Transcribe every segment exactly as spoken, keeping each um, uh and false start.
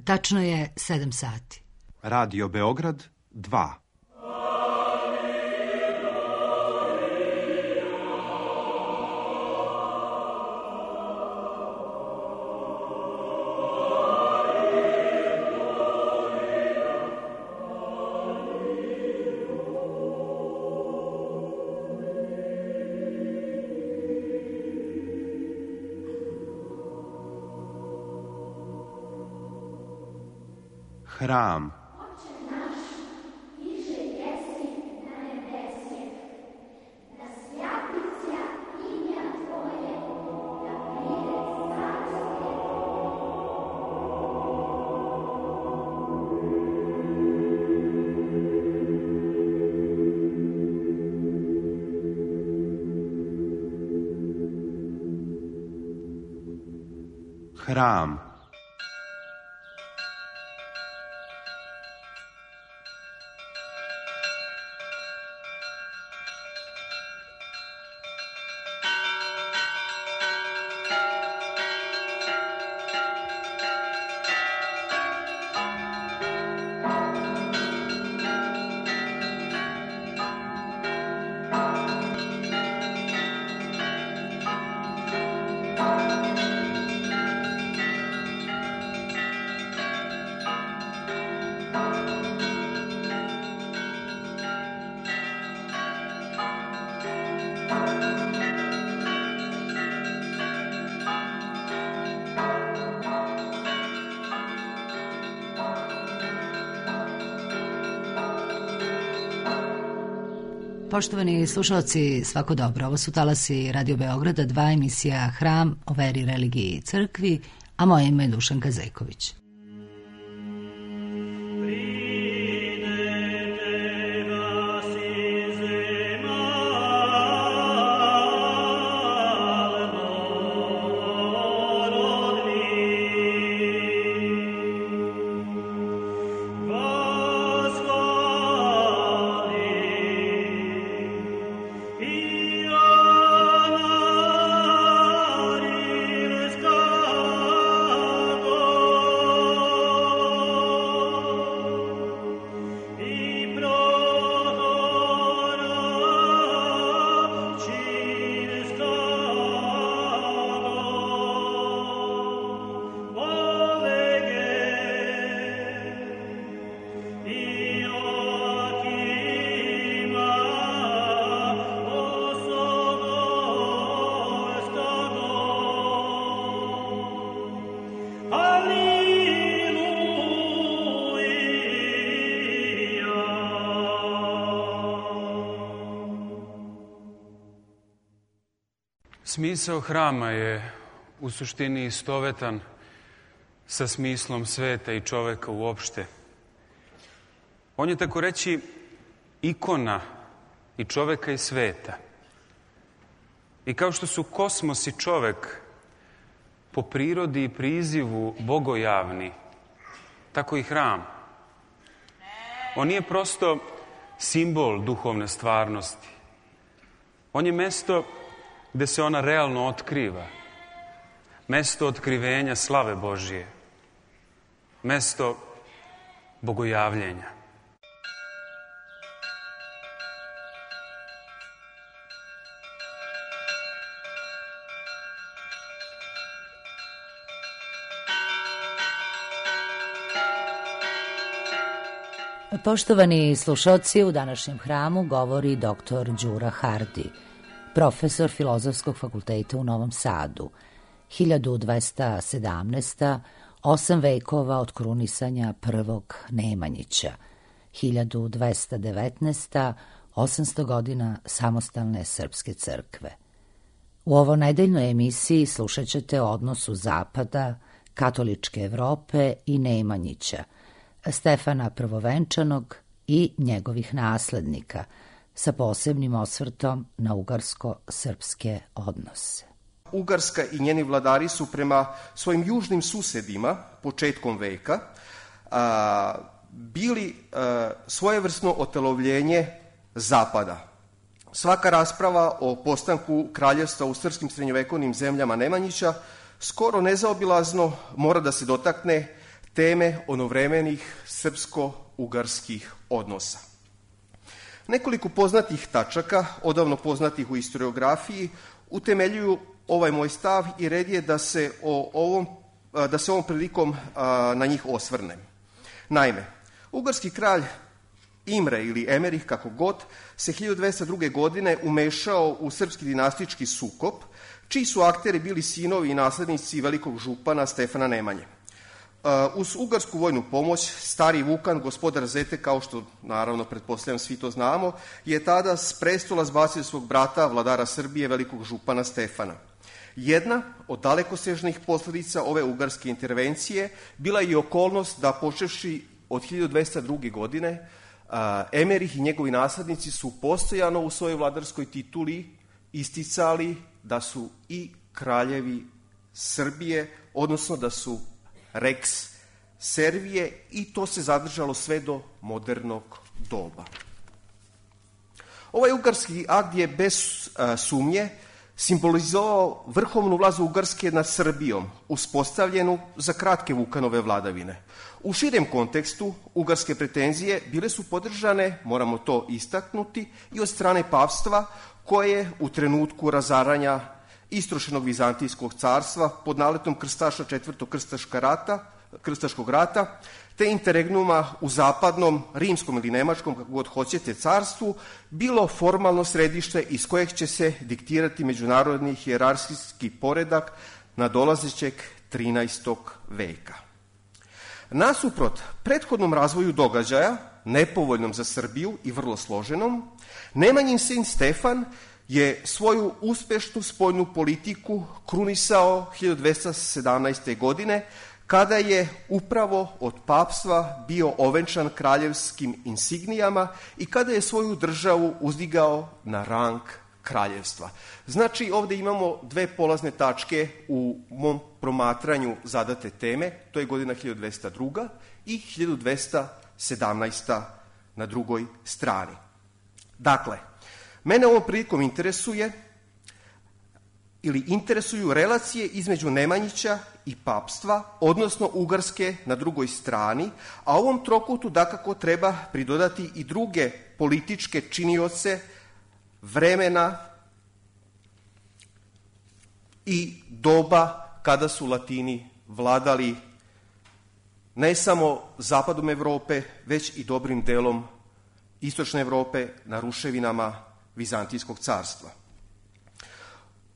Tačno je sedam sati. Radio Beograd dva. Hram. Hram. Poštovani slušalci, svako dobro. Ovo su talasi Radio Beograda, dva, emisija Hram o veri, religiji i crkvi, a moje ime je Dušanka Zejković. Smisao hrama je u suštini istovetan sa smislom sveta i čoveka uopšte. On je, tako reći, ikona i čoveka i sveta. I kao što su kosmos i čovek po prirodi i prizivu bogojavni, tako i hram. On nije prosto simbol duhovne stvarnosti. On je mesto gde se ona realno otkriva. Mesto otkrivenja slave Božije. Mesto bogojavljenja. Poštovani slušalci, u današnjem hramu govori doktor Đura Hardi, profesor Filozofskog fakulteta u Novom Sadu. hiljadu dvesta sedamnaesta. osam vekova od krunisanja prvog Nemanjića. hiljadu dvesta devetnaesta. osamsto godina samostalne srpske crkve. U ovo nedeljnoj emisiji slušat ćete o odnosu Zapada, katoličke Evrope i Nemanjića, Stefana Prvovenčanog i njegovih naslednika, sa posebnim osvrtom na ugarsko-srpske odnose. Ugarska i njeni vladari su prema svojim južnim susedima početkom veka a, bili a, svojevrsno otelovljenje Zapada. Svaka rasprava o postanku kraljevstva u srpskim srednjovekovnim zemljama Nemanjića skoro nezaobilazno mora da se dotakne teme onovremenih srpsko-ugarskih odnosa. Nekoliko poznatih tačaka, odavno poznatih u historiografiji, utemeljuju ovaj moj stav i red je da se, o ovom, da se ovom prilikom na njih osvrnem. Naime, ugarski kralj Imre ili Emerih, kako god, se hiljadu dvesta druge. godine umešao u srpski dinastički sukob, čiji su akteri bili sinovi i naslednici velikog župana Stefana Nemanje. Uz ugarsku vojnu pomoć, stari Vukan, gospodar Zete, kao što naravno pretpostavljam svi to znamo, je tada s prestola zbacio svog brata, vladara Srbije, velikog župana Stefana. Jedna od dalekosežnih posledica ove ugarske intervencije bila je i okolnost da, počevši od hiljadu dvesta druge. godine, Emerih i njegovi naslednici su postojano u svojoj vladarskoj tituli isticali da su i kraljevi Srbije, odnosno da su Rex Servije, i to se zadržalo sve do modernog doba. Ovaj ugarski akt je bez a, sumnje simbolizovao vrhovnu vlast Ugarske nad Srbijom, uspostavljenu za kratke Vukanove vladavine. U širem kontekstu, ugarske pretenzije bile su podržane, moramo to istaknuti, i od strane pavstva, koje u trenutku razaranja istrošenog Vizantijskog carstva pod naletom krstaša četvrtog rata, krstaškog rata, te interregnuma u zapadnom, rimskom ili nemačkom, kako god hoćete, carstvu, bilo formalno središte iz kojeg će se diktirati međunarodni hijerarhijski poredak nadolazećeg trinaestog. veka. Nasuprot prethodnom razvoju događaja, nepovoljnom za Srbiju i vrlo složenom, Nemanjin sin Stefan je svoju uspešnu spoljnu politiku krunisao hiljadu dvesta sedamnaeste. godine, kada je upravo od papstva bio ovenčan kraljevskim insignijama i kada je svoju državu uzdigao na rang kraljevstva. Znači, ovde imamo dve polazne tačke u mom promatranju zadate teme, to je godina hiljadu dvesta druga. i hiljadu dvesta sedamnaesta. na drugoj strani. Dakle, mene ovom prilikom interesuje ili interesuju relacije između Nemanjića i papstva, odnosno Ugarske na drugoj strani, a ovom trokutu dakako treba pridodati i druge političke činioce vremena i doba kada su Latini vladali ne samo zapadom Evrope, već i dobrim delom istočne Evrope na ruševinama Vizantijskog carstva.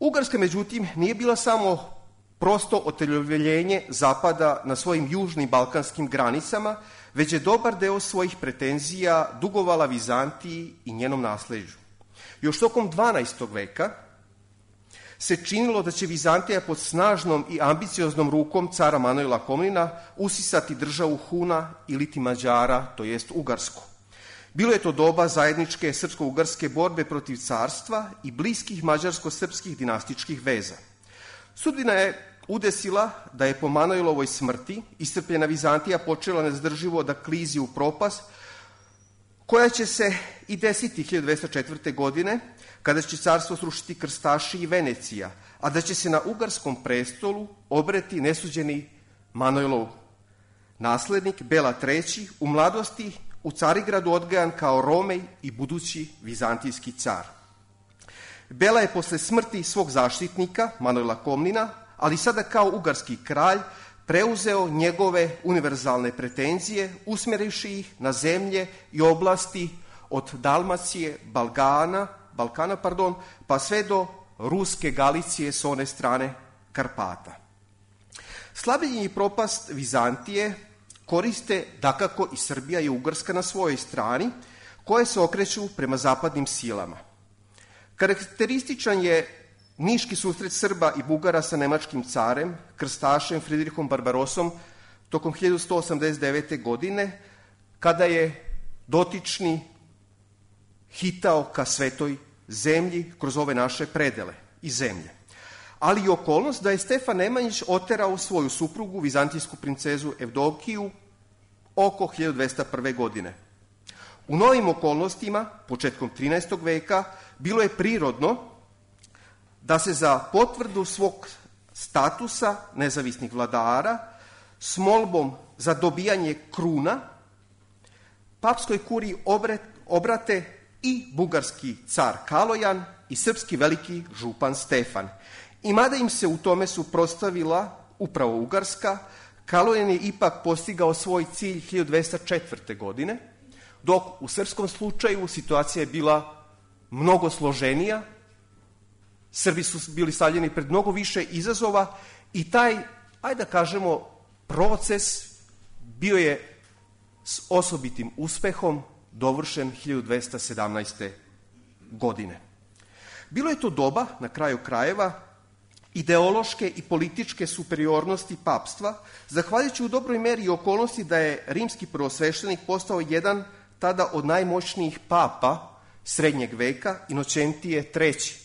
Ugarska, međutim, nije bila samo prosto oteljovljenje zapada na svojim južnim balkanskim granicama, već je dobar deo svojih pretenzija dugovala Vizantiji i njenom nasleđu. Još tokom dvanaestog. veka se činilo da će Vizantija pod snažnom i ambicioznom rukom cara Manojla Komnina usisati državu Huna iliti Mađara, to jest Ugarsku. Bilo je to doba zajedničke srpsko-ugarske borbe protiv carstva i bliskih mađarsko-srpskih dinastičkih veza. Sudbina je udesila da je po Manojlovoj smrti iscrpljena Vizantija počela nezdrživo da klizi u propast, koja će se i desiti hiljadu dvesta četvrte. godine, kada će carstvo srušiti krstaši i Venecija, a da će se na ugarskom prestolu obreti nesuđeni Manojlov naslednik Bela treći, u mladosti u Carigradu odgajan kao Romej i budući vizantijski car. Bela je posle smrti svog zaštitnika, Manojla Komnina, ali sada kao ugarski kralj, preuzeo njegove univerzalne pretenzije, usmjerivši ih na zemlje i oblasti od Dalmacije, Balkana, Balkana, pardon, pa sve do Ruske Galicije s one strane Karpata. Slabljenje i propast Vizantije koriste dakako i Srbija i Ugarska na svojoj strani, koje se okreću prema zapadnim silama. Karakterističan je niški susret Srba i Bugara sa nemačkim carem, krstašem Fridrihom Barbarosom, tokom hiljadu sto osamdeset devete. godine, kada je dotični hitao ka svetoj zemlji kroz ove naše predele i zemlje. Ali i okolnost da je Stefan Nemanjić oterao svoju suprugu, vizantijsku princezu Evdokiju, oko hiljadu dvesta prve. godine. U novim okolnostima, početkom trinaestog. veka, bilo je prirodno da se za potvrdu svog statusa nezavisnih vladara s molbom za dobijanje kruna, papskoj kuriji obrate i bugarski car Kalojan i srpski veliki župan Stefan. I mada im se u tome suprotstavila upravo Ugarska, Kalojan je ipak postigao svoj cilj hiljadu dvesta četvrte. godine, dok u srpskom slučaju situacija je bila mnogo složenija. Srbi su bili stavljeni pred mnogo više izazova i taj, ajde da kažemo, proces bio je s osobitim uspehom dovršen hiljadu dvesta sedamnaeste. godine. Bilo je to doba, na kraju krajeva, ideološke i političke superiornosti papstva, zahvaljujući u dobroj meri i okolnosti da je rimski prvosveštenik postao jedan tada od najmoćnijih papa srednjeg veka, Inocentije treći,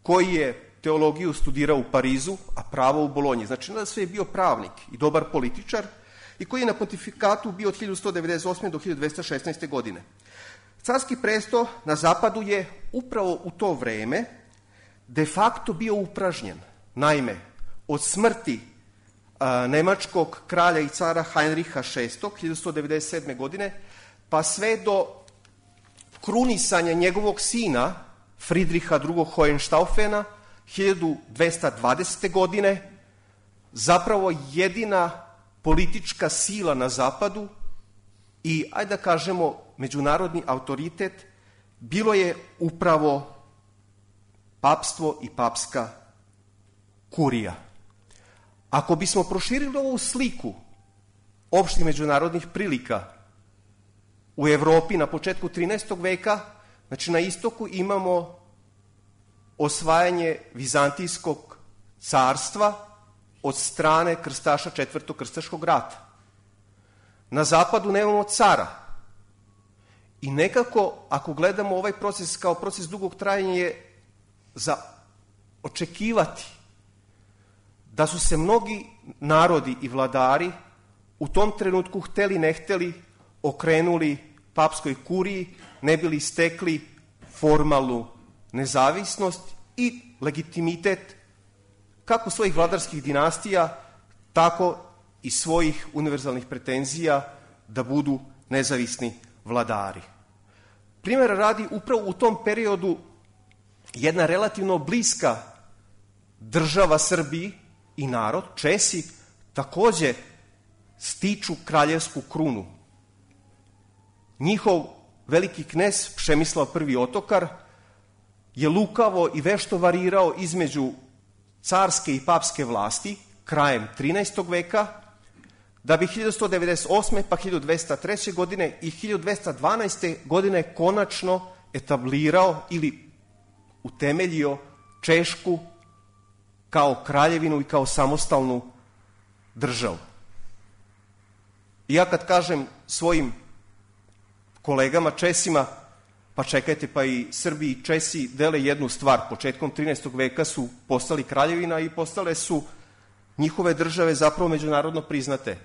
koji je teologiju studirao u Parizu, a pravo u Bolonji. Znači, da sve je bio pravnik i dobar političar i koji je na pontifikatu bio od hiljadu sto devedeset osme. do hiljadu dvesta šesnaeste. godine. Carski presto na zapadu je upravo u to vreme de facto bio upražnjen. Naime, od smrti a, nemačkog kralja i cara Heinricha šestog. hiljadu sto devedeset sedme. godine, pa sve do krunisanja njegovog sina, Fridriha drugog. Hohenstaufena, hiljadu dvesta dvadesete. godine, zapravo jedina politička sila na zapadu i, ajde da kažemo, međunarodni autoritet bilo je upravo papstvo i papska kurija. Ako bismo proširili ovu sliku opštih međunarodnih prilika u Evropi na početku trinaestog. veka, znači na istoku imamo osvajanje Vizantijskog carstva od strane krstaša četvrtog krstaškog rata. Na zapadu nemamo cara. I nekako, ako gledamo ovaj proces kao proces dugog trajanja, je za očekivati da su se mnogi narodi i vladari u tom trenutku, hteli ne hteli, okrenuli papskoj kuriji, ne bili stekli formalnu nezavisnost i legitimitet kako svojih vladarskih dinastija, tako i svojih univerzalnih pretenzija da budu nezavisni vladari. Primjera radi, upravo u tom periodu jedna relativno bliska država Srbiji i narod, Česi, takođe stiču kraljevsku krunu. Njihov veliki knez Přemyslav prvi. Otokar je lukavo i vešto varirao između carske i papske vlasti krajem trinaestog. veka, da bi hiljadu sto devedeset osme. pa hiljadu dvesta treće. godine i hiljadu dvesta dvanaeste. godine konačno etablirao ili utemeljio Češku kao kraljevinu i kao samostalnu državu. I ja kad kažem svojim kolegama Česima, pa čekajte, pa i Srbi i Česi dele jednu stvar. Početkom trinaestog. veka su postali kraljevina i postale su njihove države zapravo međunarodno priznate.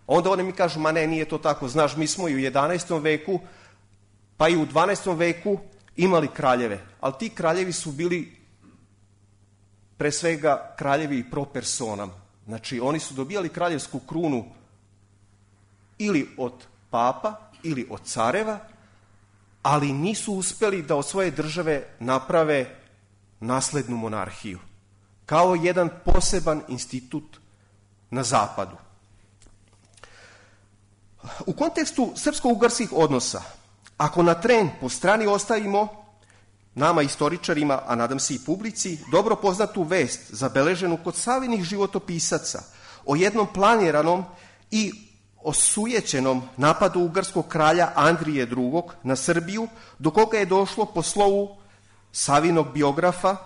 Onda oni mi kažu, ma ne, nije to tako. Znaš, mi smo i u jedanaestom. veku, pa i u dvanaestom. veku imali kraljeve. Ali ti kraljevi su bili pre svega kraljevi pro personam. Znači, oni su dobijali kraljevsku krunu ili od papa, ili od careva, ali nisu uspeli da od svoje države naprave naslednu monarhiju, kao jedan poseban institut na zapadu. U kontekstu srpsko-ugarskih odnosa, ako na tren po strani ostavimo nama istoričarima, a nadam se i publici, dobro poznatu vest zabeleženu kod savjenih životopisaca o jednom planiranom i osujećenom napadu ugarskog kralja Andrije drugog. na Srbiju, do koga je došlo po slovu Savinog biografa,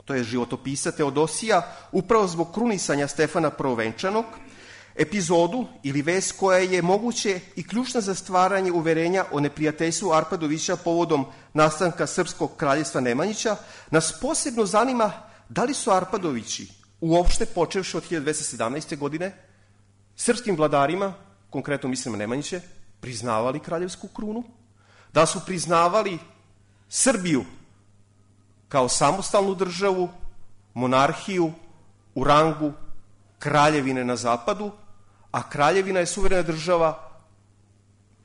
to je životopisa Teodosija, upravo zbog krunisanja Stefana Prvovenčanog, epizodu ili vest koja je moguće i ključna za stvaranje uverenja o neprijateljstvu Arpadovića povodom nastanka Srpskog kraljevstva Nemanjića, nas posebno zanima da li su Arpadovići, uopšte počevši od hiljadu dvesta sedamnaeste. godine, srpskim vladarima, konkretno mislim na Nemanjiće, priznavali kraljevsku krunu, da su priznavali Srbiju kao samostalnu državu, monarhiju u rangu kraljevine na zapadu, a kraljevina je suverena država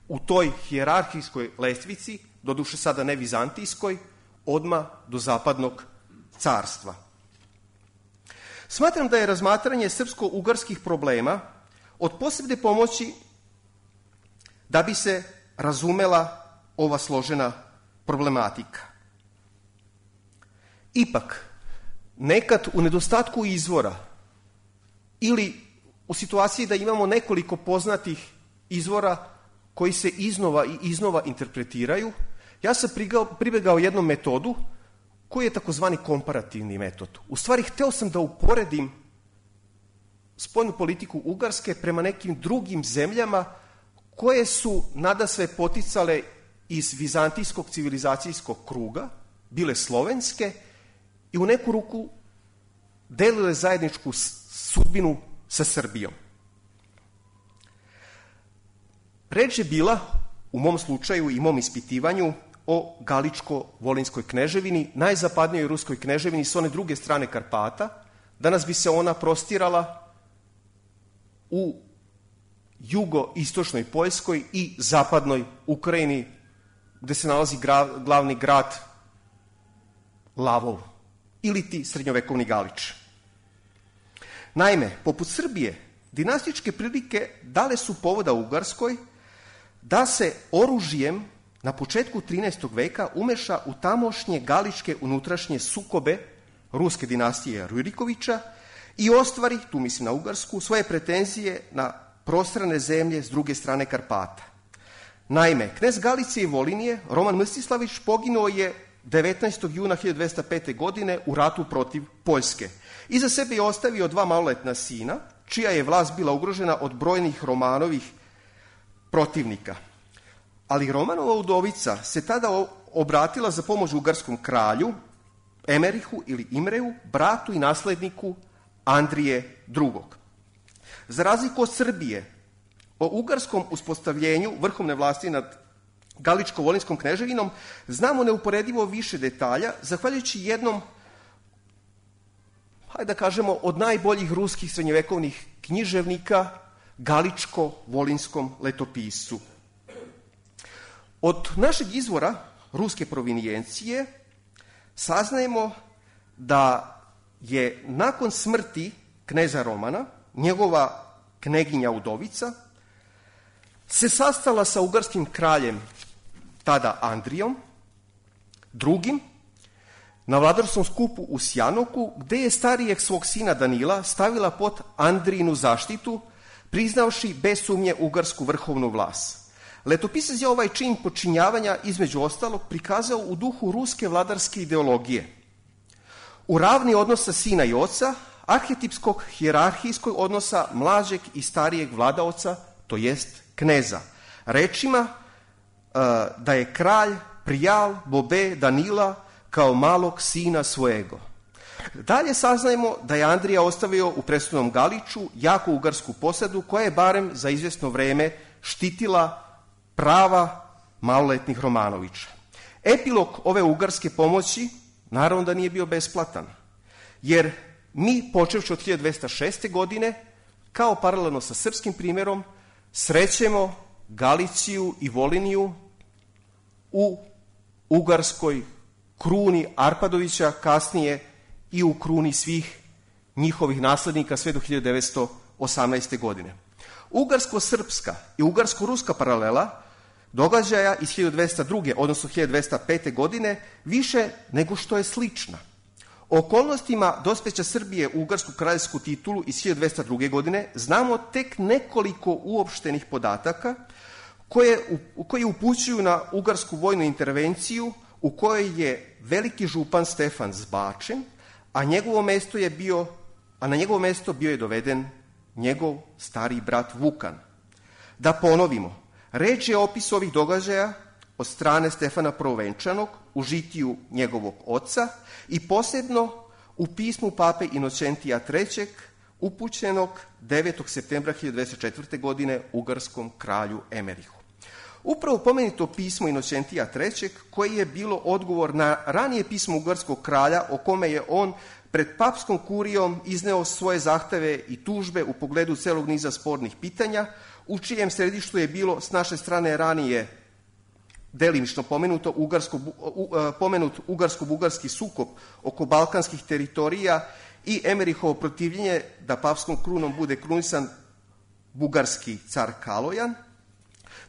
u toj hijerarhijskoj lestvici, doduše sada ne vizantijskoj, odmah do zapadnog carstva. Smatram da je razmatranje srpsko-ugarskih problema od posebne pomoći da bi se razumela ova složena problematika. Ipak, nekad u nedostatku izvora ili u situaciji da imamo nekoliko poznatih izvora koji se iznova i iznova interpretiraju, ja sam pribegao jednom metodu koji je takozvani komparativni metod. U stvari, hteo sam da uporedim spoljnu politiku Ugarske prema nekim drugim zemljama koje su nadasve poticale iz vizantijskog civilizacijskog kruga, bile slovenske i u neku ruku delile zajedničku sudbinu sa Srbijom. Reč je bila, u mom slučaju i mom ispitivanju, o Galičko-Volinskoj kneževini, najzapadnijoj ruskoj kneževini s one druge strane Karpata. Danas bi se ona prostirala u jugoistočnoj Poljskoj i zapadnoj Ukrajini, gde se nalazi gra, glavni grad Lavov, ili ti srednjovekovni Galič. Naime, poput Srbije, dinastičke prilike dale su povoda Ugarskoj da se oružjem na početku trinaestog veka umeša u tamošnje galičke unutrašnje sukobe ruske dinastije Rurikovića i ostvari, tu mislim na Ugarsku, svoje pretenzije na prostrane zemlje s druge strane Karpata. Naime, knez Galicije i Volinije, Roman Mstislavić, poginuo je devetnaestog juna hiljadu dvesta pete. godine u ratu protiv Poljske. Iza sebe je ostavio dva maloletna sina, čija je vlast bila ugrožena od brojnih Romanovih protivnika. Ali Romanova udovica se tada obratila za pomoć ugarskom kralju, Emerihu ili Imreju, bratu i nasledniku Andrije drugog. Za razliku od Srbije, o ugarskom uspostavljenju vrhovne vlasti nad Galičko-Volinskom kneževinom znamo neuporedivo više detalja, zahvaljujući jednom, hajde da kažemo, od najboljih ruskih srednjevekovnih književnika, Galičko-Volinskom letopisu. Od našeg izvora ruske provinijencije saznajemo da je nakon smrti kneza Romana, njegova kneginja udovica se sastala sa ugarskim kraljem, tada Andrijom drugim, na vladarskom skupu u Sjanoku, gde je starijeg svog sina Danila stavila pod Andrijinu zaštitu, priznavši bez sumnje ugarsku vrhovnu vlast. Letopisac je ovaj čin počinjavanja između ostalog prikazao u duhu ruske vladarske ideologije. U ravni odnosa sina i oca, arhetipskog hijerarhijskog odnosa mlađeg i starijeg vladaoca, to jest kneza. Rečima da je kralj prijal bobe Danila kao malog sina svojego. Dalje saznajemo da je Andrija ostavio u presudnom Galiču jaku ugarsku posadu koja je barem za izvjesno vreme štitila prava maloletnih Romanovića. Epilog ove ugarske pomoći naravno da nije bio besplatan, jer mi, počevši od hiljadu dvesta šeste. godine, kao paralelno sa srpskim primjerom, srećemo Galiciju i Voliniju u ugarskoj kruni Arpadovića, kasnije i u kruni svih njihovih naslednika sve do hiljadu devetsto osamnaeste. godine. Ugarsko-srpska i ugarsko-ruska paralela događaja iz hiljadu dvesta druge. odnosno hiljadu dvesta pete. godine više nego što je slična. O okolnostima dospeća Srbije u ugarsku kraljevsku titulu iz hiljadu dvesta druge. godine znamo tek nekoliko uopštenih podataka koje, koje upućuju na ugarsku vojnu intervenciju u kojoj je veliki župan Stefan zbačen, a njegovo mesto je bio, a na njegovo mesto bio je doveden njegov stariji brat Vukan. Da ponovimo, reč je o opisu ovih događaja od strane Stefana Prvovenčanog u žitiju njegovog oca i posebno u pismu pape Inocentija trećeg. upućenog devetog septembra hiljadu dvesta četvrte. godine ugarskom kralju Emerihu. Upravo pomenuto pismo Inocentija trećeg, koje je bilo odgovor na ranije pismo ugarskog kralja o kome je on pred papskom kurijom izneo svoje zahteve i tužbe u pogledu celog niza spornih pitanja, u čijem središtu je bilo s naše strane ranije delimično pomenuto ugarsko, u, pomenut ugarsko-bugarski sukob oko balkanskih teritorija i Emerihovo protivljenje da papskom krunom bude krunisan bugarski car Kalojan.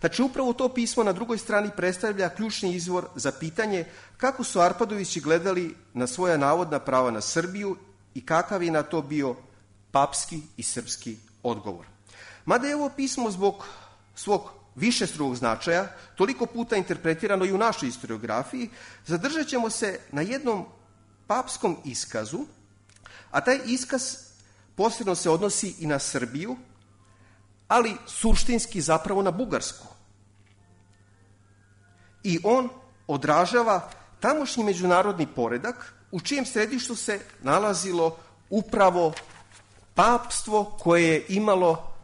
Znači, upravo to pismo na drugoj strani predstavlja ključni izvor za pitanje kako su Arpadovići gledali na svoja navodna prava na Srbiju i kakav je na to bio papski i srpski odgovor. Mada je ovo pismo zbog svog višestrukog značaja toliko puta interpretirano i u našoj historiografiji, zadržat ćemo se na jednom papskom iskazu, a taj iskaz posebno se odnosi i na Srbiju, ali suštinski zapravo na Bugarsku. I on odražava tamošnji međunarodni poredak u čijem središtu se nalazilo upravo papstvo koje je imalo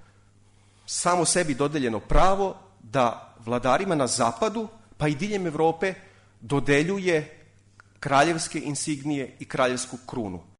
samo sebi dodeljeno pravo da vladarima na zapadu, pa i diljem Evrope, dodeljuje kraljevske insignije i kraljevsku krunu.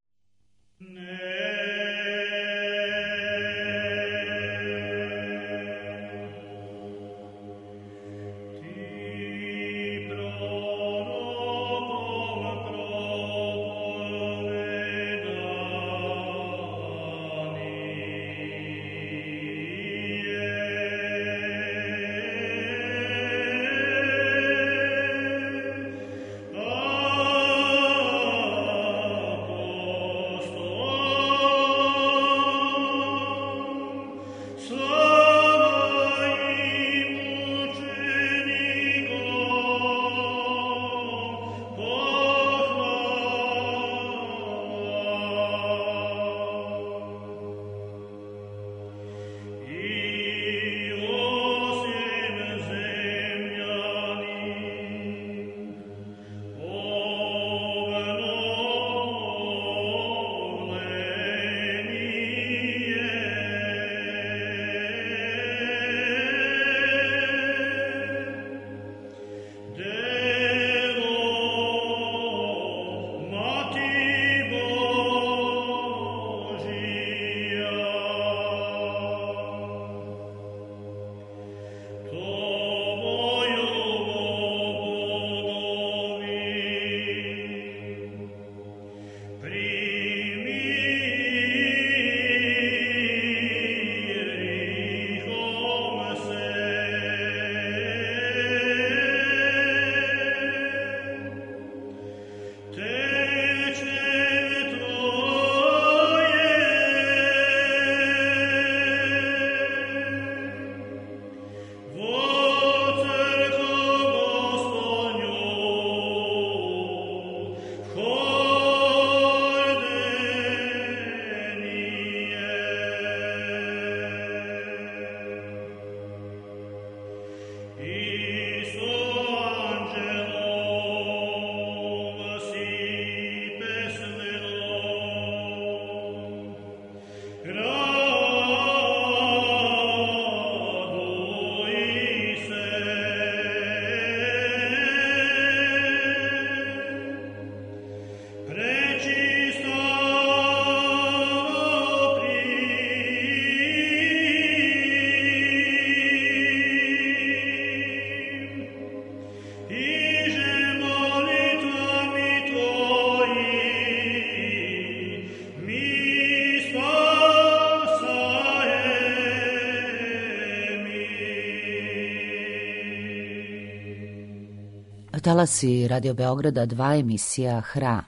Talasi Radio Beograda dva, emisija Hram,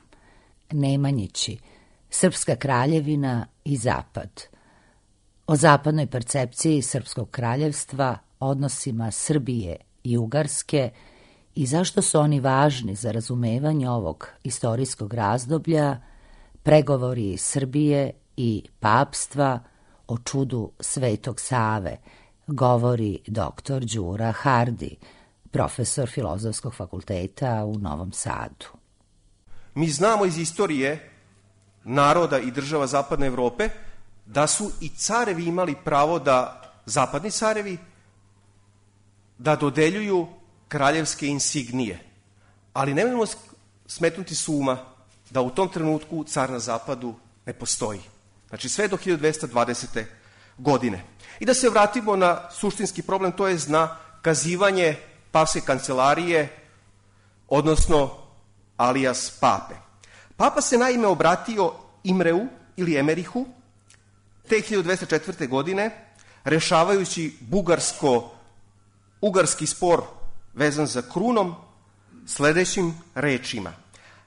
Nemanjići, Srpska kraljevina i Zapad. O zapadnoj percepciji Srpskog kraljevstva, odnosima Srbije i Ugarske i zašto su oni važni za razumevanje ovog istorijskog razdoblja, pregovori Srbije i papstva o čudu Svetog Save, govori doktor Đura Hardi, profesor Filozofskog fakulteta u Novom Sadu. Mi znamo iz istorije naroda i država Zapadne Evrope da su i carevi imali pravo da, zapadni carevi, da dodeljuju kraljevske insignije. Ali nemojmo smetnuti s uma da u tom trenutku car na zapadu ne postoji. Znači sve do hiljadu dvesta dvadesete godine. I da se vratimo na suštinski problem, to je na kazivanje papske kancelarije, odnosno alijas pape. Papa se naime obratio Imreu ili Emerihu te hiljadu dvesta četvrte. godine, rešavajući bugarsko-ugarski spor vezan za krunom, sledećim rečima.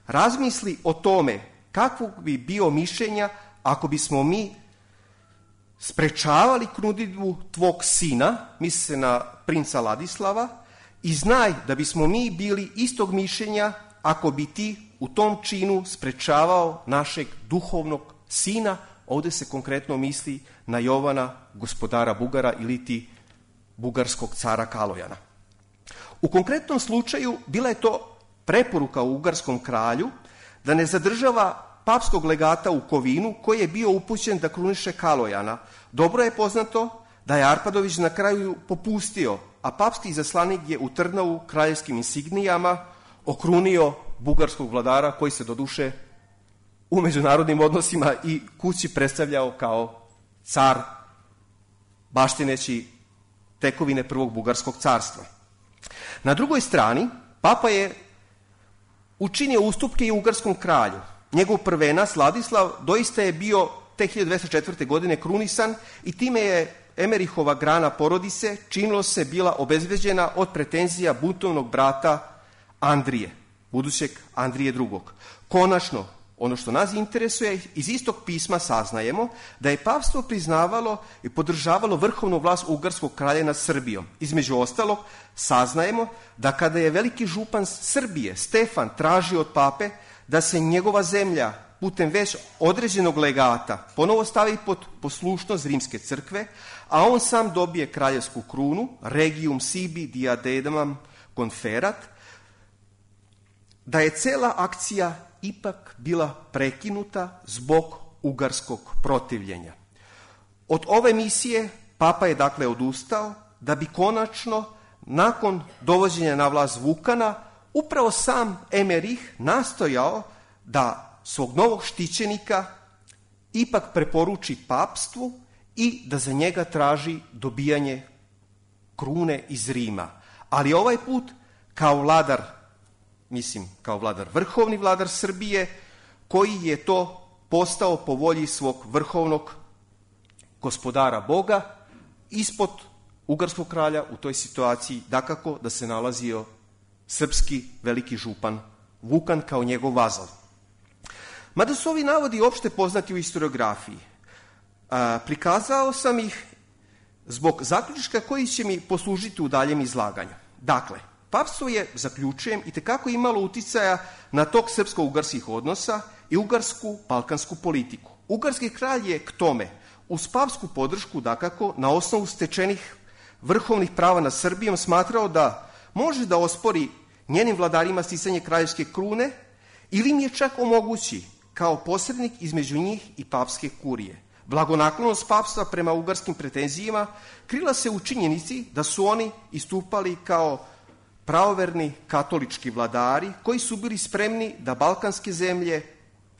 Razmisli o tome kakvog bi bio mišljenja ako bismo mi sprečavali krunidbu tvog sina, misli se na princa Ladislava, i znaj da bismo mi bili istog mišljenja ako bi ti u tom činu sprečavao našeg duhovnog sina. Ovde se konkretno misli na Jovana, gospodara Bugara, ili ti bugarskog cara Kalojana. U konkretnom slučaju bila je to preporuka u ugarskom kralju da ne zadržava papskog legata u Kovinu, koji je bio upućen da kruniše Kalojana. Dobro je poznato da je Arpadović na kraju popustio, a papski izaslanik je u Trnavu kraljevskim insignijama okrunio bugarskog vladara, koji se doduše u međunarodnim odnosima i kući predstavljao kao car, baštineći tekovine prvog bugarskog carstva. Na drugoj strani, papa je učinio ustupke i ugarskom kralju. Njegov prvenac Ladislav doista je bio te hiljadu dvesta četvrte. godine krunisan i time je Emerihova grana porodice činilo se bila obezbeđena od pretenzija buntovnog brata Andrije, budućeg Andrije drugog. Konačno, ono što nas interesuje, iz istog pisma saznajemo da je papstvo priznavalo i podržavalo vrhovnu vlast ugarskog kralja nad Srbijom. Između ostalog, saznajemo da kada je veliki župan Srbije, Stefan, tražio od pape da se njegova zemlja putem već određenog legata ponovo stavi pod poslušnost rimske crkve, a on sam dobije kraljevsku krunu, regium sibi diademam conferat, da je cela akcija ipak bila prekinuta zbog ugarskog protivljenja. Od ove misije papa je dakle odustao, da bi konačno, nakon dovođenja na vlast Vukana, upravo sam Emerih nastojao da svog novog štićenika ipak preporuči papstvu i da za njega traži dobijanje krune iz Rima. Ali ovaj put kao vladar, mislim kao vladar, vrhovni vladar Srbije, koji je to postao po volji svog vrhovnog gospodara Boga, ispod ugarskog kralja u toj situaciji dakako da se nalazio srpski veliki župan Vukan kao njegov vazal. Mada su ovi navodi opšte poznati u historiografiji, a, prikazao sam ih zbog zaključka koji će mi poslužiti u daljem izlaganju. Dakle, papstvo je, zaključujem, i tekako imalo uticaja na tok srpsko-ugarskih odnosa i ugarsku balkansku politiku. Ugarski kralj je k tome, uz papsku podršku, dakako, na osnovu stečenih vrhovnih prava nad Srbijom, smatrao da može da ospori njenim vladarima sticanje kraljevske krune ili im je čak omogući kao posrednik između njih i papske kurije. Blagonaklonost papstva prema ugarskim pretenzijama krila se u činjenici da su oni istupali kao pravoverni katolički vladari koji su bili spremni da balkanske zemlje,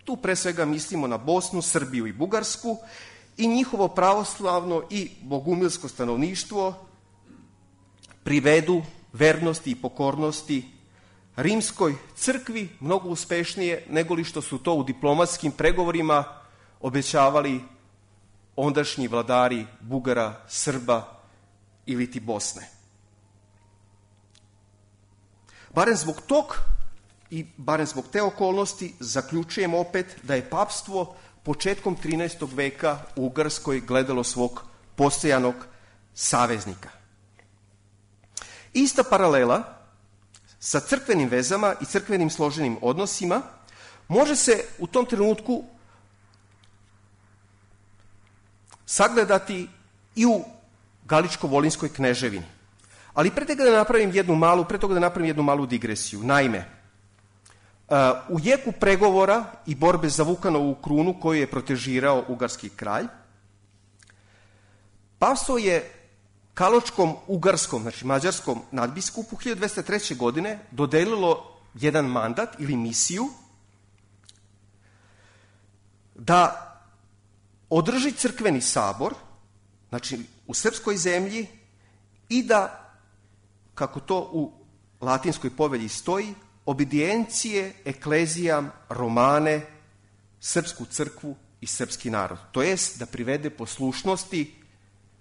tu pre svega mislimo na Bosnu, Srbiju i Bugarsku, i njihovo pravoslavno i bogumilsko stanovništvo privedu vernosti i pokornosti rimskoj crkvi mnogo uspešnije nego li što su to u diplomatskim pregovorima obećavali ondašnji vladari Bugara, Srba ili ti Bosne. Barem zbog tog i barem zbog te okolnosti zaključujem opet da je papstvo početkom trinaestog veka u Ugarskoj gledalo svog postojanog saveznika. Ista paralela sa crkvenim vezama i crkvenim složenim odnosima može se u tom trenutku sagledati i u Galičko-Volinskoj kneževini. Ali pre toga da napravim jednu malu, pre toga da napravim jednu malu digresiju. Naime, u jeku pregovora i borbe za Vukanovu krunu koju je protežirao ugarski kralj, papstvo je Kaločkom ugarskom, znači mađarskom nadbiskupu hiljadu dvesta treće. godine dodelilo jedan mandat ili misiju da održi crkveni sabor, znači u srpskoj zemlji, i da, kako to u latinskoj povelji stoji, obedijencije eklezijam romane, srpsku crkvu i srpski narod. To jest da privede poslušnosti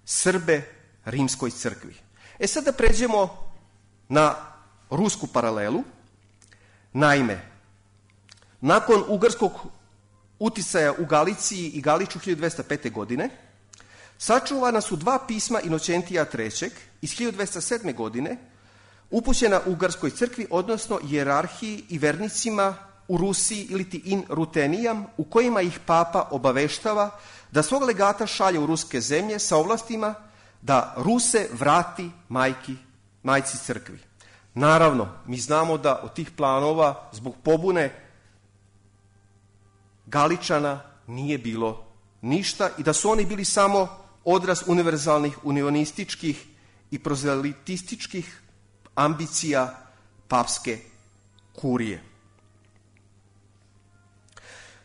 Srbe rimskoj crkvi. E sad da pređemo na rusku paralelu. Naime, nakon ugarskog uticaja u Galiciji i Galiču hiljadu dvesta pete. godine, sačuvana su dva pisma Inocentija trećeg iz hiljadu dvesta sedme. godine, upućena Ugarskoj crkvi, odnosno hijerarhiji i vernicima u Rusiji ili ti in Rutenijam, u kojima ih papa obaveštava da svog legata šalje u ruske zemlje sa ovlastima da Ruse vrati majki, majci crkvi. Naravno, mi znamo da od tih planova zbog pobune Galičana nije bilo ništa i da su oni bili samo odraz univerzalnih unionističkih i prozelitističkih ambicija papske kurije.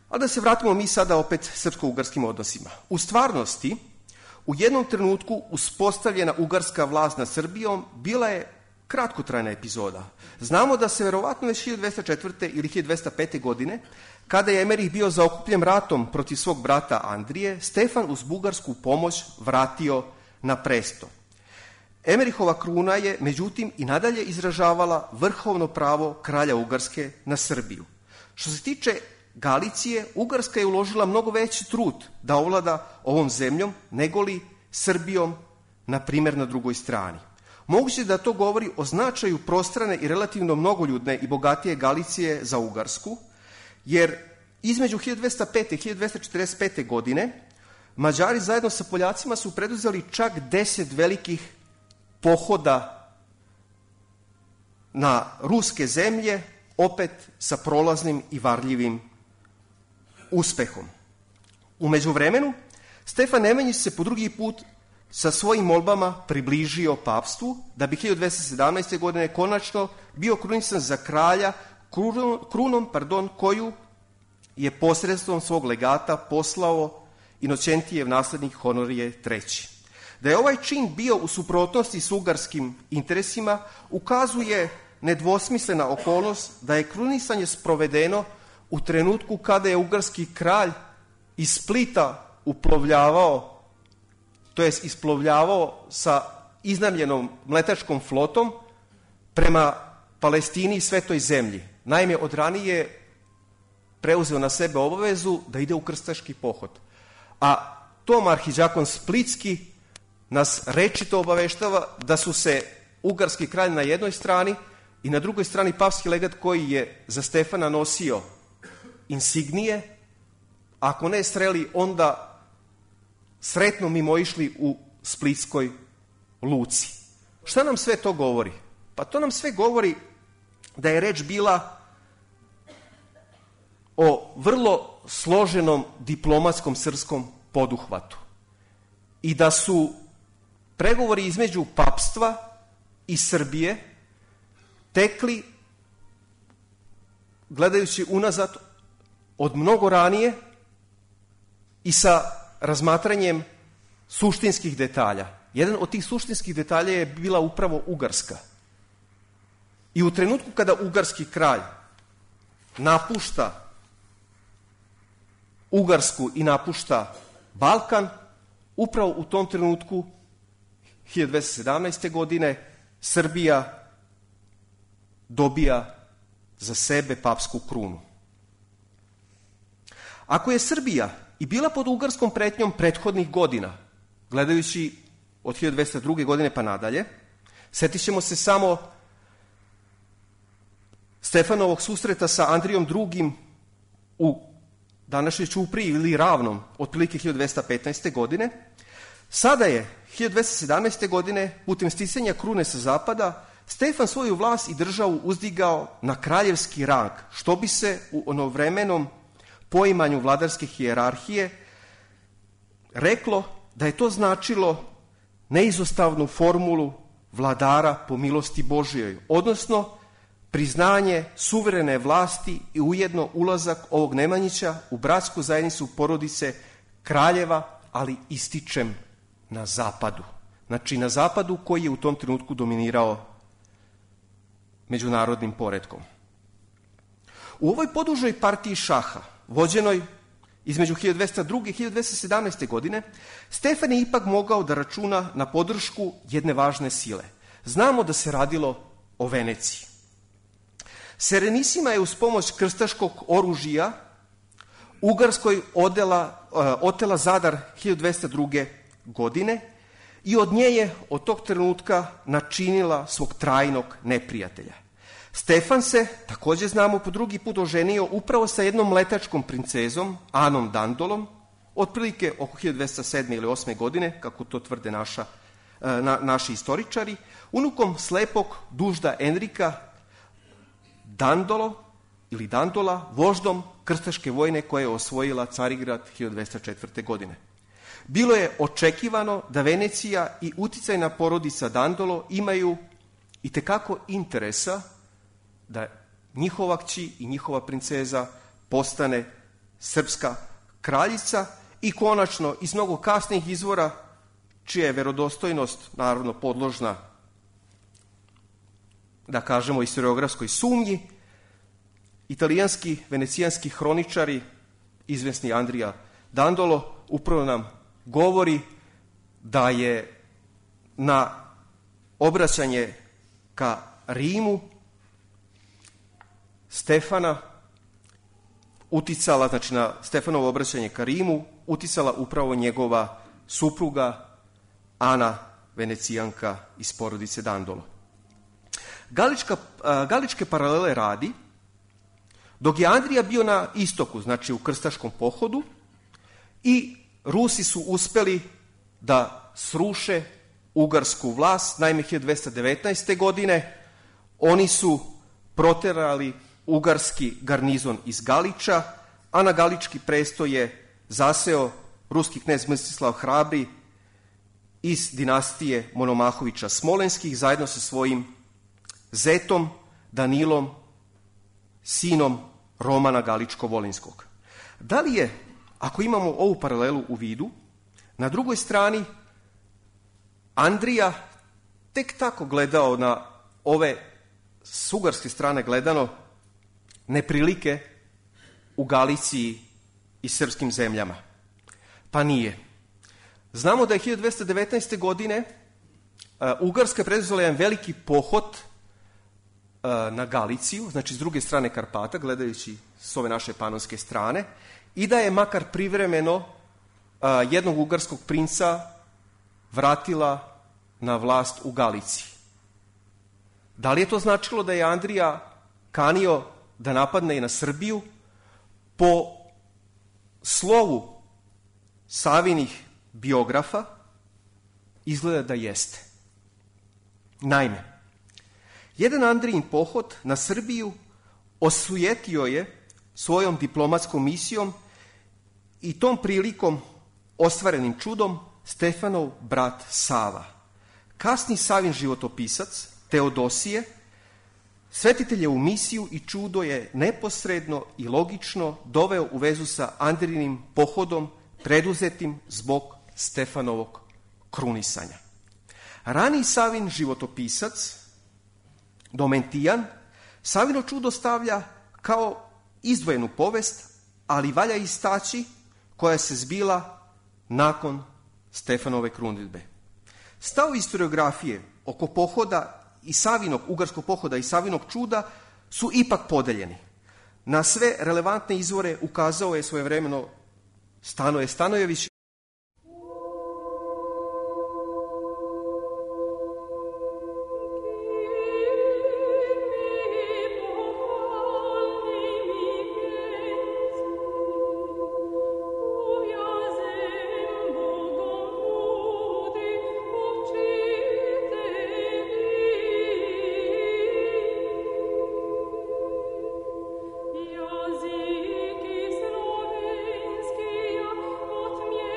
Ali da se vratimo mi sada opet srpsko-ugarskim odnosima. U stvarnosti, u jednom trenutku uspostavljena ugarska vlast nad Srbijom bila je kratkotrajna epizoda. Znamo da se verovatno već hiljadu dvesta četvrte. ili hiljadu dvesta pete. godine, kada je Emerih bio zaokupljen ratom protiv svog brata Andrije, Stefan uz bugarsku pomoć vratio na presto. Emerihova kruna je, međutim, i nadalje izražavala vrhovno pravo kralja Ugarske na Srbiju. Što se tiče Galicije, Ugarska je uložila mnogo veći trud da ovlada ovom zemljom negoli Srbijom, na primjer, na drugoj strani. Moguće da to govori o značaju prostrane i relativno mnogoljudne i bogatije Galicije za Ugarsku, jer između hiljadu dvesta pete. i hiljadu dvesta četrdeset pete. godine Mađari zajedno sa Poljacima su preduzeli čak deset velikih pohoda na ruske zemlje, opet sa prolaznim i varljivim uspehom. U međuvremenu, Stefan Nemanjić se po drugi put sa svojim molbama približio papstvu, da bi hiljadu dvesta sedamnaeste. godine konačno bio krunisan za kralja krunom, krunom pardon, koju je posredstvom svog legata poslao Inocentijev naslednik Honorije treći. Da je ovaj čin bio u suprotnosti s ugarskim interesima, ukazuje nedvosmislena okolnost da je krunisanje sprovedeno u trenutku kada je ugarski kralj iz Splita uplovljavao, to jest isplovljavao sa iznajmljenom mletačkom flotom prema Palestini i Svetoj zemlji. Naime, od ranije preuzeo na sebe obavezu da ide u krstaški pohod. A tom arhidžakon Splitski nas rečito obaveštava da su se ugarski kralj na jednoj strani i na drugoj strani papski legat koji je za Stefana nosio insignije, ako ne sreli, onda sretno mimo išli u Splitskoj luci. Šta nam sve to govori? Pa to nam sve govori da je reč bila o vrlo složenom diplomatskom srpskom poduhvatu i da su pregovori između papstva i Srbije tekli, gledajući unazad, od mnogo ranije i sa razmatranjem suštinskih detalja. Jedan od tih suštinskih detalja je bila upravo Ugarska. I u trenutku kada ugarski kralj napušta Ugarsku i napušta Balkan, upravo u tom trenutku hiljadu dvesta sedamnaeste. godine Srbija dobija za sebe papsku krunu. Ako je Srbija i bila pod ugarskom pretnjom prethodnih godina, gledajući od hiljadu dvesta druge. godine pa nadalje, setit ćemo se samo Stefanovog susreta sa Andrijom drugim u današnjoj Ćupriji ili Ravnom, otprilike hiljadu dvesta petnaeste. godine, sada je hiljadu dvesta sedamnaeste. godine putem sticanja krune sa zapada Stefan svoju vlast i državu uzdigao na kraljevski rang, što bi se u onovremenom poimanju vladarske hijerarhije reklo da je to značilo neizostavnu formulu vladara po milosti Božjoj, odnosno priznanje suverene vlasti i ujedno ulazak ovog Nemanjića u bratsku zajednicu porodice kraljeva, ali ističem na zapadu. Znači na zapadu koji je u tom trenutku dominirao međunarodnim poretkom. U ovoj podužoj partiji šaha, vođenoj između hiljadu dvesta druge. i hiljadu dvesta sedamnaeste. godine, Stefan je ipak mogao da računa na podršku jedne važne sile. Znamo da se radilo o Veneciji. Serenisima je uz pomoć krstaškog oružja Ugarskoj odela, otela Zadar hiljadu dvesta druge. godine i od nje je od tog trenutka načinila svog trajnog neprijatelja. Stefan se, također znamo, po drugi put oženio upravo sa jednom letačkom princezom, Anom Dandolom, otprilike oko hiljadu dvesta sedme ili osme. godine, kako to tvrde naša, na, naši istoričari, unukom slepog dužda Enrika Dandolo ili Dandola, voždom krstaške vojne koja je osvojila Carigrad hiljadu dvesta četvrte. godine. Bilo je očekivano da Venecija i uticajna porodica Dandolo imaju itekako interesa da njihova kći i njihova princeza postane srpska kraljica i konačno iz mnogo kasnijih izvora, čija je verodostojnost naravno podložna, da kažemo, historiografskoj sumnji, italijanski, venecijanski hroničari, izvesni Andrija Dandolo, upravo nam govori da je na obraćanje ka Rimu Stefana uticala, znači na Stefanovo obraćanje ka Rimu, uticala upravo njegova supruga Ana, Venecijanka iz porodice Dandolo. Galička, Galičke paralele radi, dok je Andrija bio na istoku, znači u krstaškom pohodu, i Rusi su uspeli da sruše ugarsku vlast. Naime, hiljadu dvesta devetnaeste. godine oni su proterali ugarski garnizon iz Galiča, a na Galički presto je zaseo ruski knez Mstislav Hrabri iz dinastije Monomahovića Smolenskih zajedno sa svojim zetom Danilom, sinom Romana Galičko-Volinskog. Da li je, ako imamo ovu paralelu u vidu, na drugoj strani Andrija tek tako gledao na ove s ugarske strane gledano neprilike u Galiciji i srpskim zemljama? Pa nije. Znamo da je hiljadu dvesta devetnaeste. godine uh, Ugarska preduzela jedan veliki pohod uh, na Galiciju, znači s druge strane Karpata, gledajući s ove naše panonske strane, i da je makar privremeno uh, jednog ugarskog princa vratila na vlast u Galiciji. Da li je to značilo da je Andrija kanio da napadne i na Srbiju? Po slovu Savinih biografa izgleda da jeste. Naime, jedan Andrijin pohod na Srbiju osujetio je svojom diplomatskom misijom i tom prilikom ostvarenim čudom Stefanov brat Sava. Kasni Savin životopisac Teodosije svetiteljevu misiju i čudo je neposredno i logično doveo u vezu sa Andrijinim pohodom preduzetim zbog Stefanovog krunisanja. Rani Savin životopisac Domentijan Savino čudo stavlja kao izdvojenu povest, ali valja istaći koja se zbila nakon Stefanove krunidbe. Stavovi historiografije oko pohoda i Savinog, ugarskog pohoda i Savinog čuda su ipak podeljeni. Na sve relevantne izvore ukazao je svojevremeno Stanoje Stanojević. Języki słowiańskie, od mnie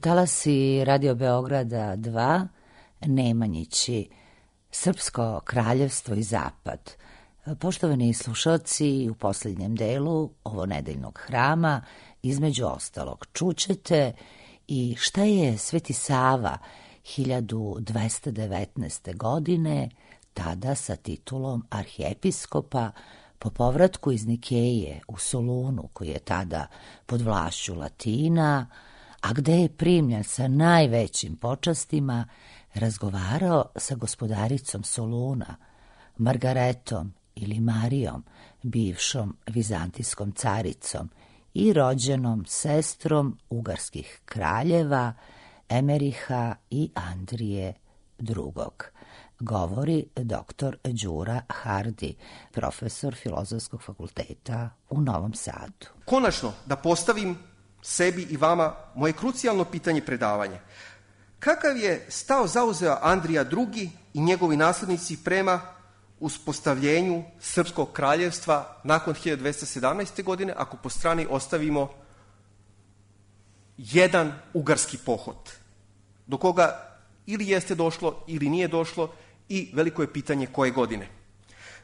talasi Radio Beograda dva, Nemanjići, Srpsko kraljevstvo i Zapad. Poštovani slušalci, u posljednjem delu ovo nedeljnog hrama, između ostalog, čućete i šta je Sveti Sava hiljadu dvesta devetnaeste. godine, tada sa titulom arhiepiskopa, po povratku iz Nikeje u Solunu, koji je tada pod vlašću Latina, a gde je primljen sa najvećim počastima, razgovarao sa gospodaricom Soluna, Margaretom ili Marijom, bivšom vizantijskom caricom i rođenom sestrom ugarskih kraljeva Emeriha i Andrije drugog. Govori doktor Đura Hardi, profesor Filozofskog fakulteta u Novom Sadu. Konačno, da postavim sebi i vama moje krucijalno pitanje predavanja. Kakav je stav zauzeo Andrija drugi i njegovi naslednici prema uspostavljenju Srpskog kraljevstva nakon hiljadu dvesta sedamnaeste. godine, ako po strani ostavimo jedan ugarski pohod, do koga ili jeste došlo ili nije došlo i veliko je pitanje koje godine.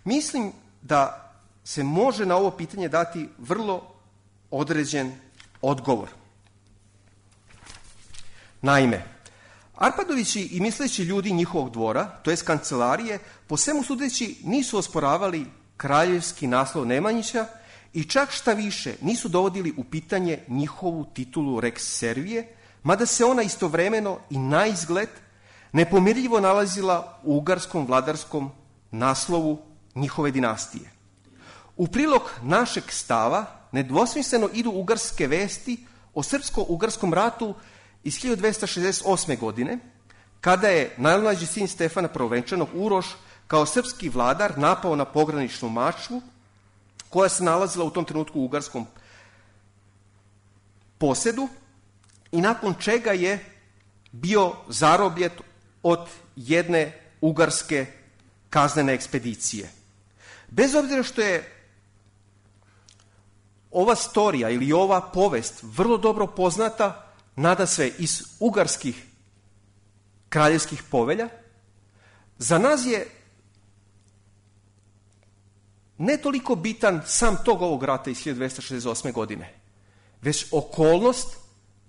Mislim da se može na ovo pitanje dati vrlo određen odgovor. Naime, Arpadovići i misleći ljudi njihovog dvora, to jest kancelarije, po svemu sudeći nisu osporavali kraljevski naslov Nemanjića i čak šta više nisu dovodili u pitanje njihovu titulu Rex Servije, mada se ona istovremeno i na izgled nepomirljivo nalazila u ugarskom vladarskom naslovu njihove dinastije. U prilog našeg stava nedvosmisleno idu ugarske vesti o srpsko-ugarskom ratu iz hiljadu dvesta šezdeset osme. godine, kada je najmlađi sin Stefana Prvovenčanog Uroš kao srpski vladar napao na pograničnu Mačvu, koja se nalazila u tom trenutku u ugarskom posedu i nakon čega je bio zarobljen od jedne ugarske kaznene ekspedicije. Bez obzira što je ova storija ili ova povest vrlo dobro poznata nadasve iz ugarskih kraljevskih povelja, za nas je ne toliko bitan sam tog ovog rata iz hiljadu dvesta šezdeset osme. godine, već okolnost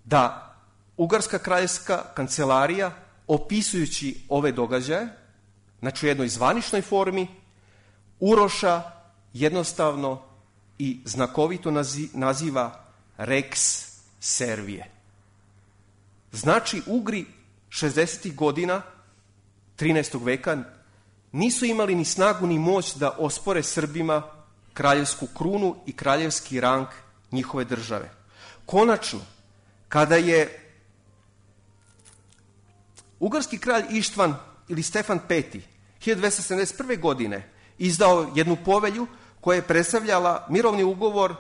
da ugarska kraljevska kancelarija, opisujući ove događaje, znači u jednoj zvaničnoj formi, Uroša jednostavno i znakovito naziva Rex Servije. Znači, Ugri šezdesetih godina trinaestog veka nisu imali ni snagu ni moć da ospore Srbima kraljevsku krunu i kraljevski rang njihove države. Konačno, kada je ugarski kralj Ištvan ili Stefan Peti hiljadu dvesta sedamdeset prve. godine izdao jednu povelju koja je predstavljala mirovni ugovor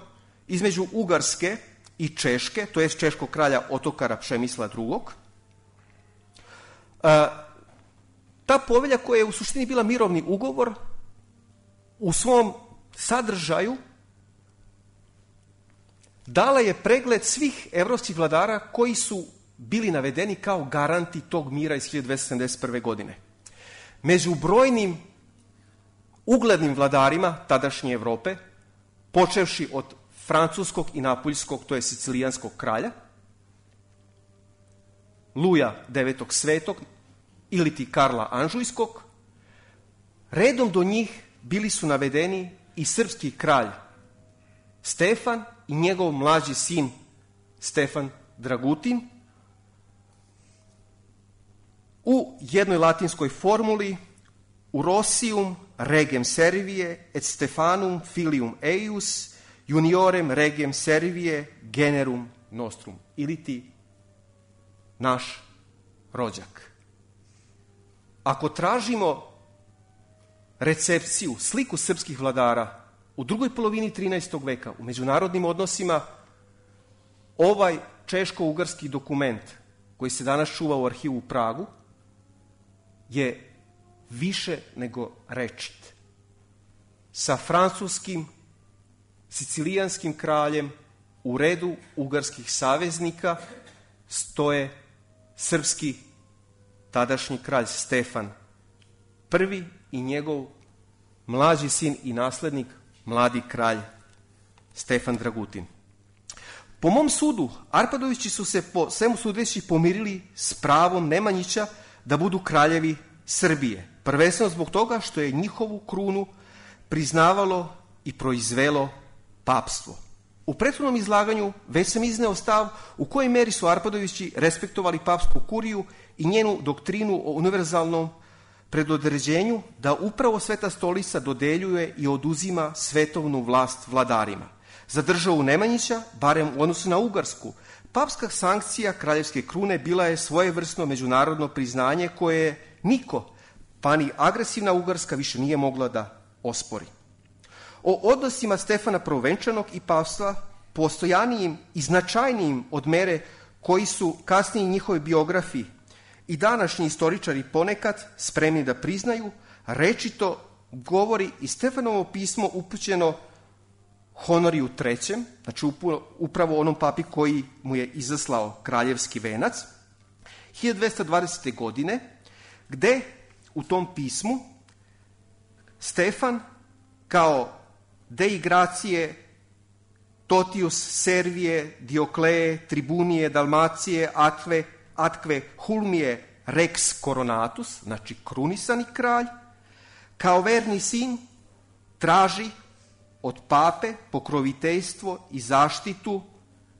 između Ugarske i Češke, to jest češkog kralja Otokara Pšemisla drugog. Ta povelja, koja je u suštini bila mirovni ugovor, u svom sadržaju dala je pregled svih evropskih vladara koji su bili navedeni kao garanti tog mira iz hiljadu dvesta sedamdeset prve. godine. Među brojnim uglednim vladarima tadašnje Evrope, počevši od francuskog i napuljskog, to je sicilijanskog kralja, Luja devetog Svetog ili ti Karla Anžujskog, redom do njih bili su navedeni i srpski kralj Stefan i njegov mlađi sin Stefan Dragutin, u jednoj latinskoj formuli Urosium regem servie et Stefanum filium eius juniorem regem servie generum nostrum, ili ti naš rođak. Ako tražimo recepciju, sliku srpskih vladara u drugoj polovini trinaestog veka u međunarodnim odnosima, ovaj češko-ugarski dokument koji se danas čuva u arhivu u Pragu je više nego rečit. Sa francuskim, sicilijanskim kraljem u redu ugarskih saveznika, stoje srpski tadašnji kralj Stefan prvi i njegov mlađi sin i naslednik, mladi kralj Stefan Dragutin. Po mom sudu, Arpadovići su se po svemu sudeći pomirili s pravom Nemanjića da budu kraljevi Srbije. Prvenstveno zbog toga što je njihovu krunu priznavalo i proizvelo papstvo. U prethodnom izlaganju već sam izneo stav u kojoj meri su Arpadovići respektovali papsku kuriju i njenu doktrinu o univerzalnom predodređenju da upravo Sveta stolica dodeljuje i oduzima svetovnu vlast vladarima. Za državu Nemanjića, barem u odnosu na Ugarsku, papska sankcija kraljevske krune bila je svojevrsno međunarodno priznanje koje niko, pa ni agresivna Ugarska, više nije mogla da ospori. O odnosima Stefana Prvovenčanog i papstva, postojanijim i značajnijim od mere koji su kasniji njihovi biografi i današnji istoričari ponekad spremni da priznaju, rečito govori i Stefanovo pismo upućeno Honoriju trećem, znači upravo onom papi koji mu je izaslao kraljevski venac, hiljadu dvesta dvadesete. godine, gde u tom pismu Stefan kao Dei Gracije, Totius Servije, Diokleje, Tribunije, Dalmacije, Atve, Atkve, Hulmije, Rex Coronatus, znači krunisani kralj, kao verni sin traži od pape pokroviteljstvo i zaštitu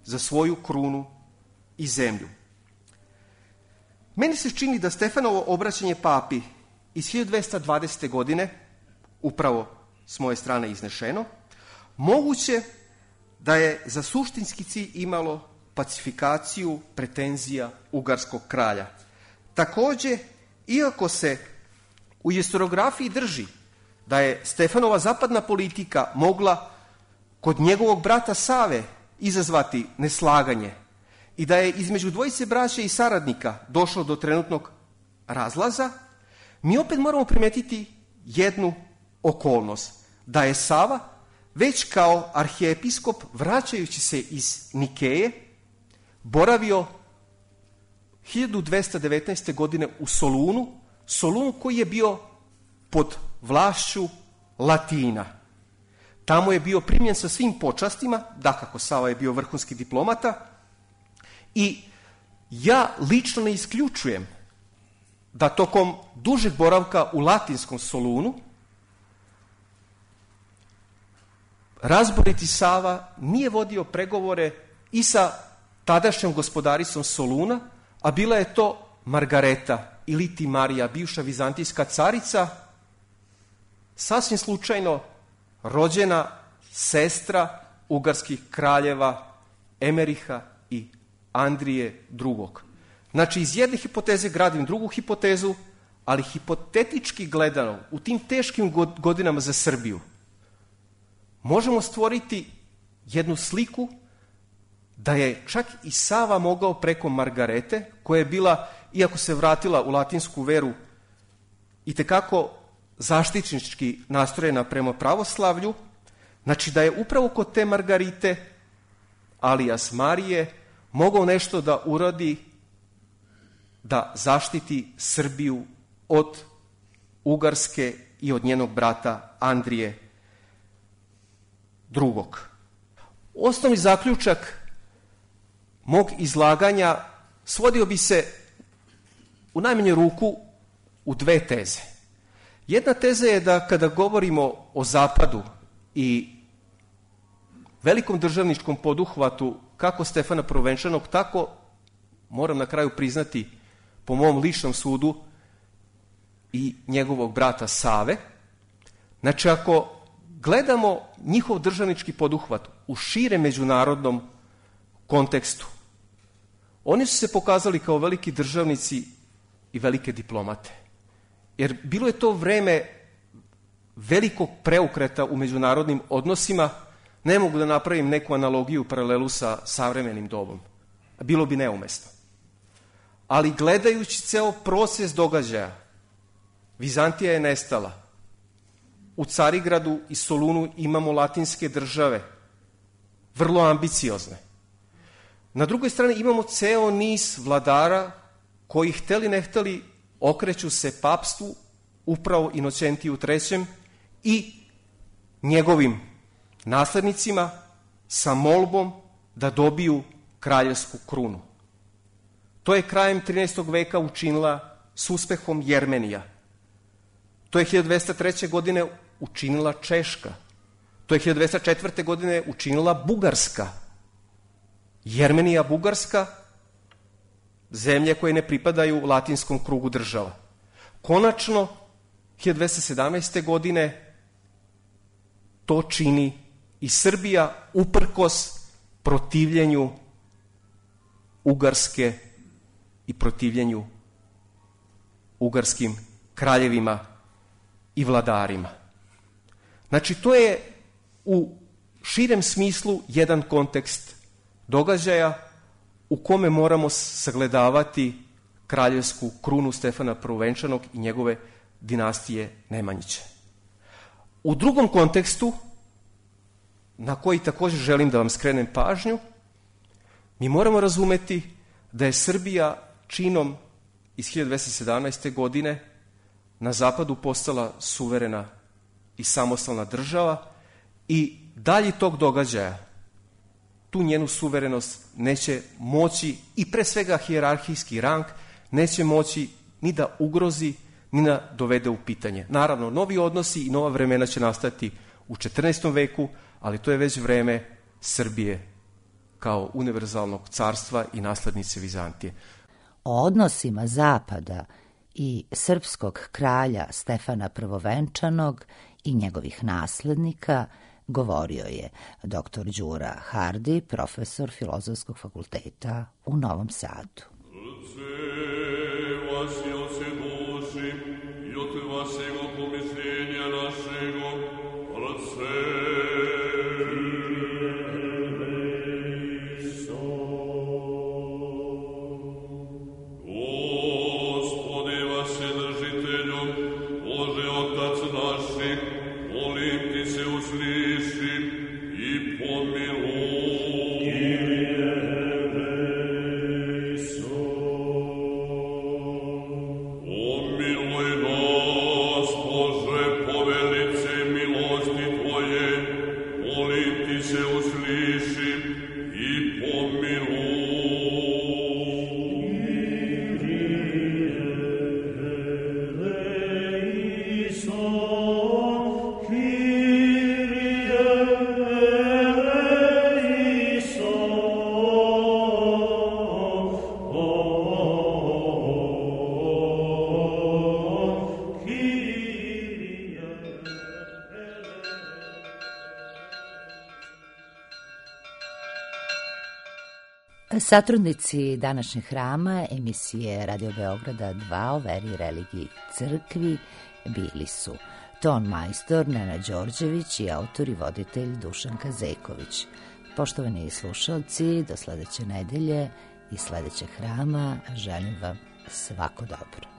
za svoju krunu i zemlju. Meni se čini da Stefanovo obraćanje papi iz hiljadu dvesta dvadesete. godine, upravo s moje strane iznešeno, moguće da je za suštinski cilj imalo pacifikaciju pretenzija ugarskog kralja. Takođe, iako se u historiografiji drži da je Stefanova zapadna politika mogla kod njegovog brata Save izazvati neslaganje i da je između dvojice braće i saradnika došlo do trenutnog razlaza, mi opet moramo primetiti jednu okolnost, da je Sava već kao arhijepiskop, vraćajući se iz Nikeje, boravio hiljadu dvesta devetnaeste. godine u Solunu, Solunu koji je bio pod vlašću Latina. Tamo je bio primljen sa svim počastima, dakako Sava je bio vrhunski diplomata, i ja lično ne isključujem da tokom dužeg boravka u latinskom Solunu razboriti Sava nije vodio pregovore i sa tadašnjom gospodaricom Soluna, a bila je to Margareta ili ti Marija, bivša vizantijska carica, sasvim slučajno rođena sestra ugarskih kraljeva Emeriha i Andrije drugog. Znači, iz jedne hipoteze gradim drugu hipotezu, ali hipotetički gledano, u tim teškim godinama za Srbiju, možemo stvoriti jednu sliku da je čak i Sava mogao preko Margarete, koja je bila, iako se vratila u latinsku veru, itekako zaštitnički nastrojena prema pravoslavlju, znači da je upravo kod te Margarite, alias Marije, mogao nešto da uradi da zaštiti Srbiju od Ugarske i od njenog brata Andrije drugog. Osnovni zaključak mog izlaganja svodio bi se u najmanju ruku u dve teze. Jedna teza je da kada govorimo o Zapadu i velikom državničkom poduhvatu kako Stefana Prvovenčanog, tako, moram na kraju priznati, po mom ličnom sudu, i njegovog brata Save. Znači, ako gledamo njihov državnički poduhvat u šire međunarodnom kontekstu, oni su se pokazali kao veliki državnici i velike diplomate. Jer bilo je to vreme velikog preukreta u međunarodnim odnosima. Ne mogu da napravim neku analogiju, paralelu sa savremenim dobom. Bilo bi neumesno. Ali gledajući ceo proces događaja, Vizantija je nestala. U Carigradu i Solunu imamo latinske države, vrlo ambiciozne. Na drugoj strani imamo ceo niz vladara koji, hteli ne hteli, okreću se papstvu, upravo Inocentiju trećem i njegovim naslednicima sa molbom da dobiju kraljevsku krunu. To je krajem trinaestog veka učinila s uspehom Jermenija. To je hiljadu dvesta treće. godine učinila Češka. To je hiljadu dvesta četvrte. godine učinila Bugarska. Jermenija, Bugarska, zemlje koje ne pripadaju latinskom krugu država. Konačno, hiljadu dvesta sedamnaeste. godine to čini i Srbija uprkos protivljenju Ugarske i protivljenju ugarskim kraljevima i vladarima. Znači, to je u širem smislu jedan kontekst događaja u kome moramo sagledavati kraljevsku krunu Stefana Prvovenčanog i njegove dinastije Nemanjića. U drugom kontekstu, na koji također želim da vam skrenem pažnju, mi moramo razumeti da je Srbija činom iz hiljadu dvesta sedamnaeste. godine na zapadu postala suverena i samostalna država i dalji tog događaja tu njenu suverenost neće moći, i pre svega hijerarhijski rang, neće moći ni da ugrozi, ni da dovede u pitanje. Naravno, novi odnosi i nova vremena će nastati u četrnaestom veku, ali to je već vreme Srbije kao univerzalnog carstva i naslednice Vizantije. O odnosima Zapada i srpskog kralja Stefana Prvovenčanog i njegovih naslednika govorio je doktor Đura Hardi, profesor Filozofskog fakulteta u Novom Sadu. Satrudnici današnjeg hrama emisije Radio Beograda dva o veri, religiji, crkvi bili su ton majstor Nena Đorđević i autor i voditelj Dušan Kazeković. Poštovani slušalci, do sledeće nedelje i sledećeg hrama želim vam svako dobro.